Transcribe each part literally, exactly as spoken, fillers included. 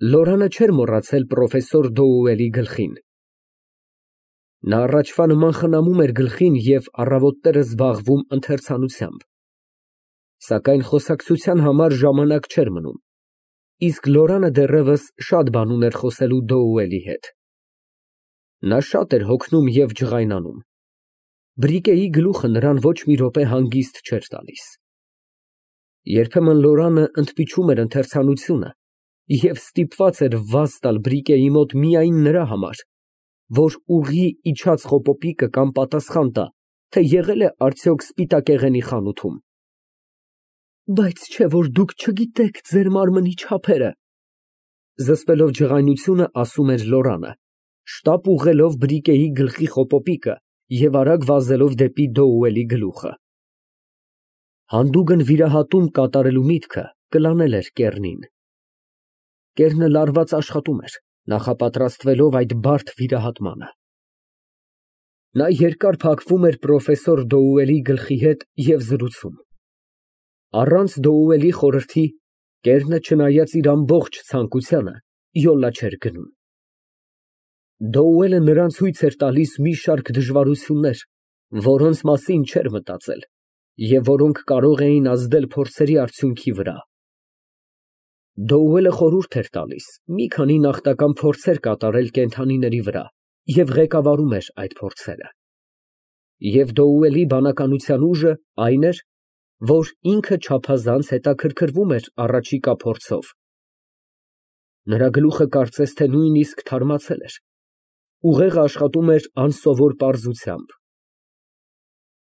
Լորանը չէր մոռացել պրոֆեսոր Դոուելի գլխին։ Նա առաջվա նման խնամում էր գլխին և առավոտները զբաղվում ընթերցանությամբ, սակայն խոսակցության համար ժամանակ չէր մնում, իսկ Լորանը դեռևս շատ բան ուներ խոսելու Դոուելի հետ։ Նա շատ էր հոգնում և ջղայնանում, բրիկեի գլուխը նրան ոչ մի րոպե հանգիստ չէր տալիս։ Երբեմն Լորանը ընդպիչում էր ընթերցանությունը և ստիպված էր վազ տալ բրիկեի մոտ միայն նրա համար, որ ուղիղ իջած խոպոպիկը կամ պատասխան տա, թե եղե՞լ է արդյոք սպիտակեղենի խանութում։ Բայց չէ՞ որ դուք չգիտեք ձեր մարմնի չափերը, զսպելով ջղայնությունը, ասում էր Լորանը, շտապ ուղղելով բրիկեի գլխի խոպոպիկը և արագ վազելով դեպի Դոուելի գլուխը։ Հանդուգն վիրահատում կատարելու միտքը կլանել էր կեռնին։ Կեռնը լարված աշխատում էր, նախապատրաստվելով այդ բարդ վիրահատմանը։ Նա երկար փակվում էր պրոֆեսոր Դոուելի գլխի հետ և զրուցում։ Առանց Դոուելի խորհրդի կեռնը, չնայած իր ամբողջ ցանկությանը, յոլա չէր գնում։ Դոուելը նրան ցույց էր տալիս մի շարք դժվարություններ, որոնց մասին չէր մտածել և որոնք կարող էին ազդել փորձերի արդյունքի վրա։ Դոուելը խորհուրդ էր տալիս մի քանի նախնական փորձեր կատարել կենդանիների վրա և ղեկավարում էր այդ փորձերը։ Եվ Դոուելի բանականության ուժը այն էր, որ ինքը չափազանց հետաքրքրվում էր առաջիկա փորձով։ Նրա գլուխը կարծես թե նույնիսկ թարմացել էր, ուղեղը աշխատում էր անսովոր պարզությամբ։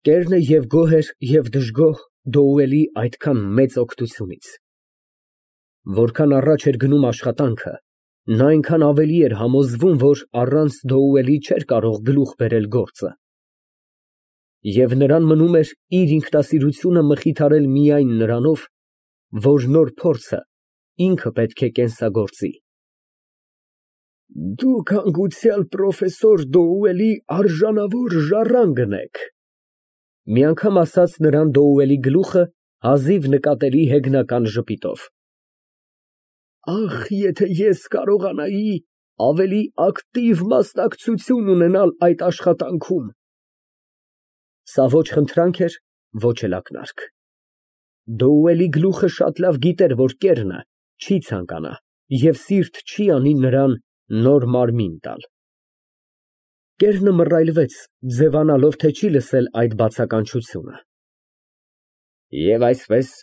Կեռնը և գոհ էր, և դժգոհ Դոուելի այդքան մեծ օգնությունից։ Որքան առաջ էր գնում աշխատանքը, նա այնքան ավելի էր համոզվում, որ առանց Դոուելի չէր կարող գլուխ բերել գործը։ Եվ նրան մնում էր իր ինքնասիրությունը մխիթարել միայն նրանով, որ նոր փորձը ինքը պետք է կենսագործի։ Դուք հանգուցյալ պրոֆեսոր Դոուելի արժանավոր ժառանգն եք, մի անգամ ասաց նրան Դոուելի գլուխը հազիվ նկատելի հեգնական ժպիտով։ Ախ, եթե ես կարողանայի ավելի ակտիվ մասնակցություն ունենալ այդ աշխատանքում։ Սա ոչ խնդրանք էր, ոչ էլ ակնարկ։ Դոուելի գլուխը շատ լավ գիտեր, որ կեռնը չի ցանկանա և սիրտ չի անի նրան նոր մարմին տալ։ Կեռնը մռայլվեց, ձևանալով, թե չի լսել այդ բացականչությունը։ Եվ այսպես,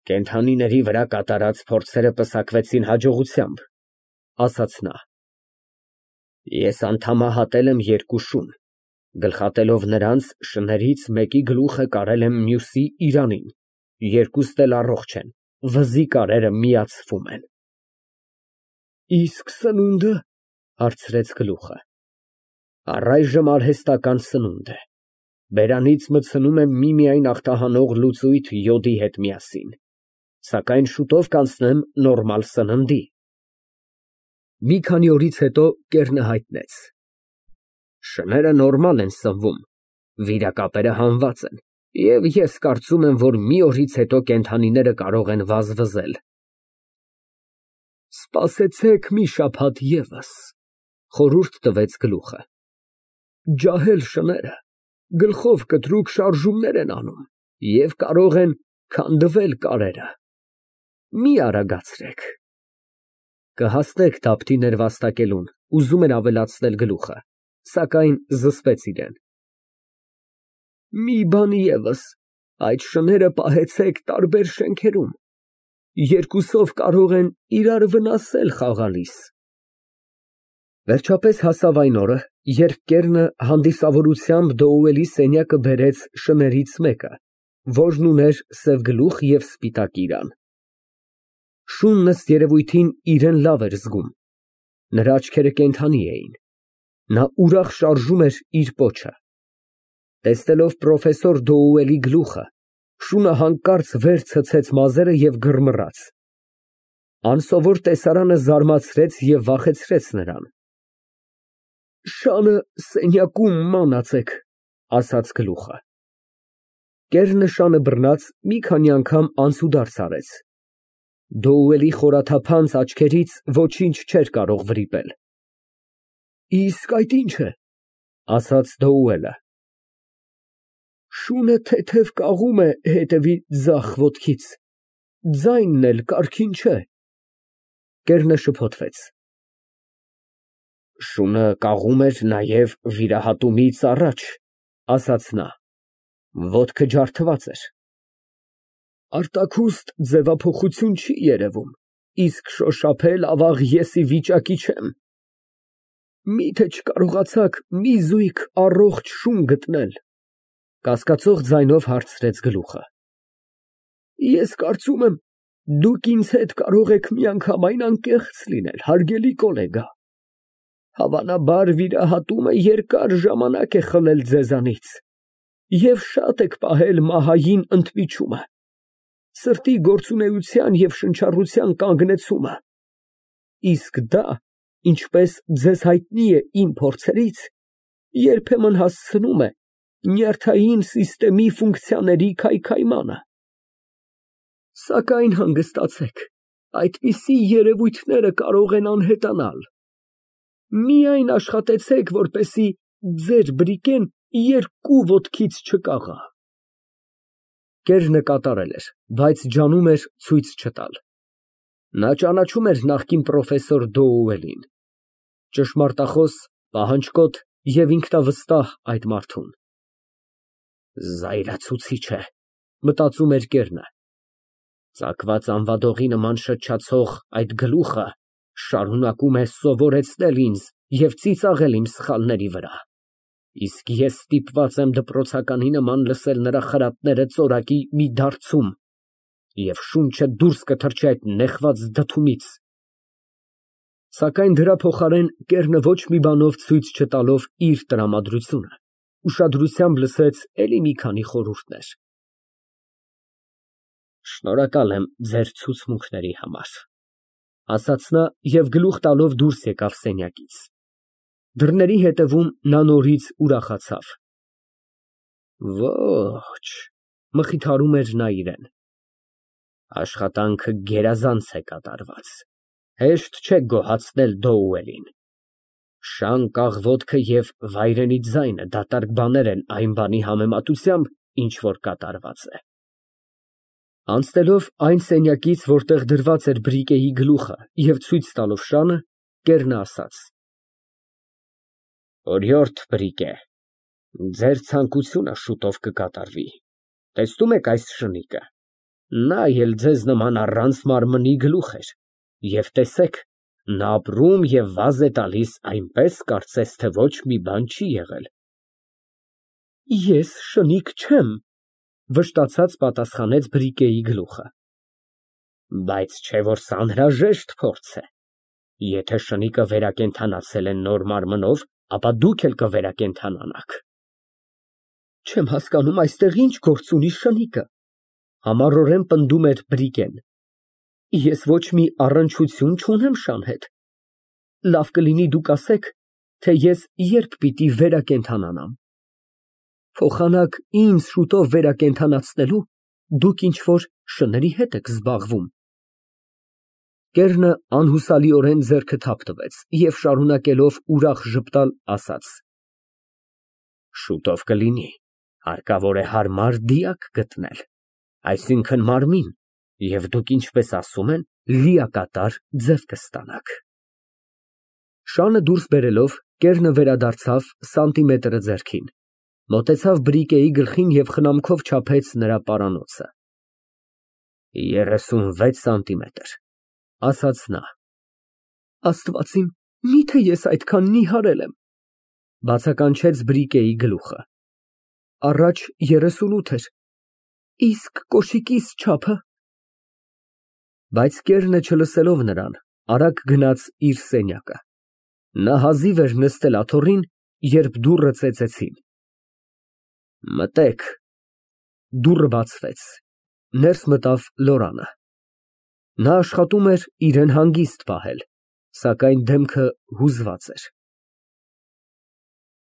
կենդանիների վրա կատարած փորձերը պսակվեցին հաջողությամբ, ասաց նա։ Ես անդամահատել եմ երկու շուն, գլխատելով նրանց շներից մեկի գլուխը կարել եմ մյուսի իրանին, երկուստ էլ առողջ են, վզի կարերը միացվում են։ Իսկ սնո՞ւնդը, հարցրեց գլուխը։ Առայժմ արհեստական սնունդ է, բերանից մտցնում եմ միմիայն ախտահանող լուծույթ յոդի հետ միասին, սակայն շուտով կանցնեմ նորմալ սննդի։ Մի քանի օրից հետո կեռնը հայտնեց. Շները նորմալ են սնվում, վիրակապերը հանված են, և ես կարծում եմ, որ մի օրից հետո կենդանիները կարող են վազվզել։ Սպասեցեք մի շաբաթ ևս, խորհուրդ տվեց գլուխը։ Ջահել շները գլխով կտրուկ շարժումներ են անում և կարող են քանդվել կարերը։ Մի արագացրեք։ Կհասնեք դափտի ներվաստակելուն, ուզում էր ավելացնել գլուխը, սակայն զսպեց իրեն։ Մի բան ևս, այդ շները պահեցեք տարբեր շենքերում, երկուսով կարող են իրար վնասել խաղալիս։ Վերջապես հասավ այն օրը, երբ կեռնը հանդիսավորությամբ Դոուելի սենյակը բերեց շներից մեկը, որն ուներ սև գլուխ և սպիտակ իրան։ Շունն ըստ երևույթին իրեն լավ էր զգում, նրա աչքերը կենդանի էին, նա ուրախ շարժում էր իր պոչը։ Տեսնելով պրոֆեսոր Դոուելի գլուխը, շունը հանկարծ վեր ցցեց մազերը և գրմռաց։ Անսովոր տեսարանը զարմացրեց և վախեցրեց նրան։ Շանը սենյակում մանացեք, ասաց գլուխը։ Կեռնը շանը բռնած մի քանի անգամ անցուդարձ արեց, Դոուելի խորաթափանց աչքերից ոչինչ չէր կարող վրիպել։ Իսկ այդ ի՞նչ է, ասաց Դոուելը։ Շունը թեթև կաղում է հետևի ձախ ոտքից, ձայնն էլ կարգին չէ։ Կեռնը շփոթվեց։ Շունը կաղում էր նաև վիրահատումից առաջ, ասաց նա, ոտքը ջարդված էր։ Արտաքուստ ձևափոխություն չի երևում, իսկ շոշափել ավաղ ես ի վիճակի չեմ։ Միթե չկարողացաք մի զույգ առողջ շուն գտնել, կասկածող ձայնով հարցրեց գլուխը։ Ես կարծում եմ, դուք ինձ հետ կարող եք միանգամայն անկեղծ լինել, հարգելի գոլեգա։ Հավանաբար վիրահատումը երկար ժամանակ է խլել ձեզանից և շատ եք պահել մահային ընդմիջումը, սրտի գործունեության և շնչառության կանգնեցումը, իսկ դա, ինչպես ձեզ հայտնի է իմ փորձերից, երբեմն հասցնում է նյարդային սիստեմի ֆունկցիաների քայքայմանը։ Սակայն հանգստացեք, այդպիսի երևույթները կարող են անհետանալ։ Միայն աշխատեցեք, որպեսզի ձեր բրիկեն երկու ոտքից չկաղա։ Կեռնը կատարել էր, բայց ջանում էր ցույց չտալ։ Նա ճանաչում էր նախկին պրոֆեսոր Դոուելին, ճշմարտախոս, պահանջկոտ և ինքնավստահ այդ մարդուն։ Զայրացուցիչ է, մտածում էր կեռնը, ծակված անվադողի նման շչացող այդ գլուխը շարունակում է սովորեցնել ինձ և ծիծաղել իմ սխալների վրա, իսկ ես ստիպված եմ դպրոցականի նման լսել նրա խրատները ծորակի մի դարձում և շունչը դուրս կթռչի այդ նեխված դդումից։ Սակայն դրա փոխարեն կեռնը ոչ մի բանով ցույց չտալով իր տրամադրությունը, ուշադրությամբ լսեց էլի մի քանի խորհուրդներ։ Շնորհակալ եմ ձեր ցուցմունքների համար, ասաց նա և գլուխ տալով դուրս եկավ սենյակից։ Դռների հետևում նա նորից ուրախացավ։ Ոչ, մխիթարում էր նա իրան, աշխատանքը գերազանց է կատարված, հեշտ չէ գոհացնել Դոուելին։ Շանկ աղոթքը և վայրենի ձայնը դատարկ բաներ են այն բանի համեմատությամբ, ինչ որ կատարված է։ Անցնելով այն սենյակից, որտեղ դրված էր բրիկեի գլուխը և ցույց տալով շանը, կեռնը ասաց. Օրիորդ բրիկե, ձեր ցանկությունը շուտով կկատարվի, տեսնո՞ւմ եք այս շնիկը, նա էլ ձեզ նման առանց մարմնի գլուխ էր, և տեսեք, նա ապրում և վազ է տալիս այնպես, կարծես թե ոչ մի բան չի եղել։ Ես շնիկ չեմ, վշտացած պատասխանեց բրիկեի գլուխը։ Բայց չէ՞ որ սա անհրաժեշտ փորձ է, եթե շնիկը վերակենդանացել է նոր մարմնով, ապա դուք էլ կվերակենդանանաք։ Չեմ հասկանում այստեղ ինչ գործ ունի շնիկը, համառորեն պնդում էր բրիկեն։ Ես ոչ մի առնչություն չունեմ շան հետ։ Լավ կլինի դուք ասեք, թե ես երբ պիտի վերակենդանանամ։ Փոխանակ ինձ շուտով վերակենդանացնելու, դուք ինչ֊որ շների հետ եք զբաղվում։ Կեռնը անհուսալիորեն ձեռքը թափ տվեց և շարունակելով ուրախ ժպտալ, ասաց. Շուտով կլինի, հարկավոր է հարմար դիակ գտնել, այսինքն մարմին, և դուք, ինչպես ասում են, լիակատար ձև կստանաք։ Շանը դուրս բերելով, կեռնը վերադարձավ սանտիմետրը ձեռքին, մոտեցավ բրիկեի գլխին և խնամքով չափեց նրա պարանոցը։ Երեսունվեց սանտիմետր, ասաց նա։ Աստված իմ, միթե ես այդքան նիհարել եմ, բացականչեց բրիկեի գլուխը։ Առաջ երեսունութ էր, իսկ կոշիկիս չափը։ Բայց կեռնը չլսելով նրան, արագ գնաց իր սենյակը։ Նա հազիվ էր նստել աթոռին, երբ դուռը ծեծեցին։ Մտեք։ Դուռը բացվեց, ներս մտավ Լորանը։ Նա աշխատում էր իրան հանգիստ պահել, սակայն դեմքը հուզված էր։